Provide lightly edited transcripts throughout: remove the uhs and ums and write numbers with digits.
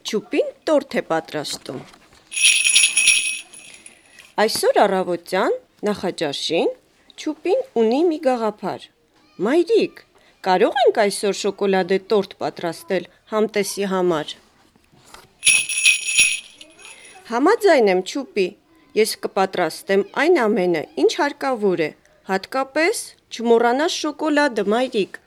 Չուպին տորթ է պատրաստում։ Այսօր առավոտյան նախաճաշին Չուպին ունի մի գաղափար։ Մայրիկ, կարող ենք այսօր շոկոլադե տորթ պատրաստել համտեսի համար։ Համաձայն եմ, Չուպի, ես կպատրաստեմ այն ամենը, ինչ հարկավոր է, հատկապես չմոռանաս շոկոլադը, մայրիկ։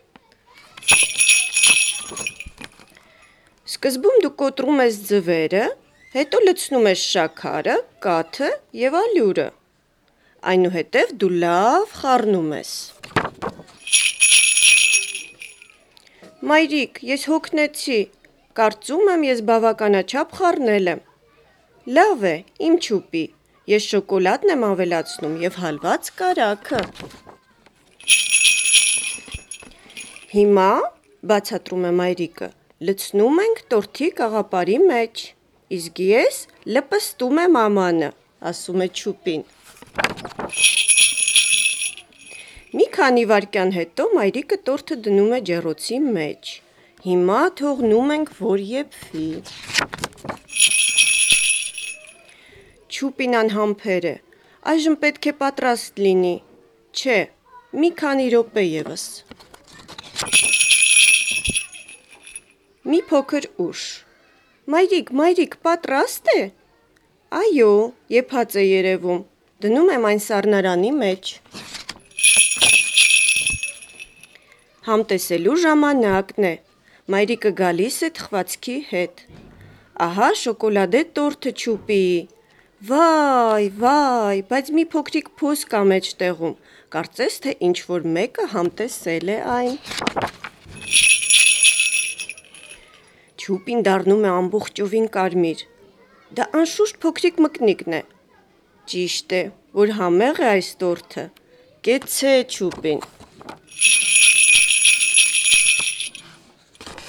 Սկզբում դու կոտրում ես ձվերը, հետո լցնում ես շաքարը, կաթը և ալյուրը, այնուհետև դու լավ խառնում ես։ Մայրիկ, ես հոգնեցի, կարծում եմ ես բավականաչափ խառնել եմ։ Լավ է, իմ Չուպի, ես շոկոլադն եմ ավելացնում և հալված կարագը։ Հիմա, բացատրում է մայրիկը, լցնում ենք տորթի կաղապարի մեջ, իսկ ես լպստում եմ ամանը, ասում է Չուպին։ Մի քանի վայրկյան հետո մայրիկը տորթը դնում է ջեռոցի մեջ, հիմա թողնում ենք, որ եփվի։ Չուպին անհամբեր է, այժմ պետք է պատրաստ լինի, չէ, մի քանի րոպե ևս։ Մի փոքր ուշ։ Մայրիկ, պատրաստ է։ Այո, եփած է երևում, դնում եմ այն սառնարանի մեջ։ Համտեսելու ժամանակն է, մայրիկը գալիս է թխվածքի հետ։ Ահա շոկոլադե տորթը Չուպիի։ Վայ, բայց մի փոքրիկ փոս կա մեջտեղում, կարծես թե ինչ-որ մեկը համտեսել է այն։ Չուպին դառնում է ամբողջովին կարմիր։ Դա անշուշտ փոքրիկ մկնիկն է։ Ճիշտ է, որ համեղ է այս տորթը։ Կեցցե, Չուպին։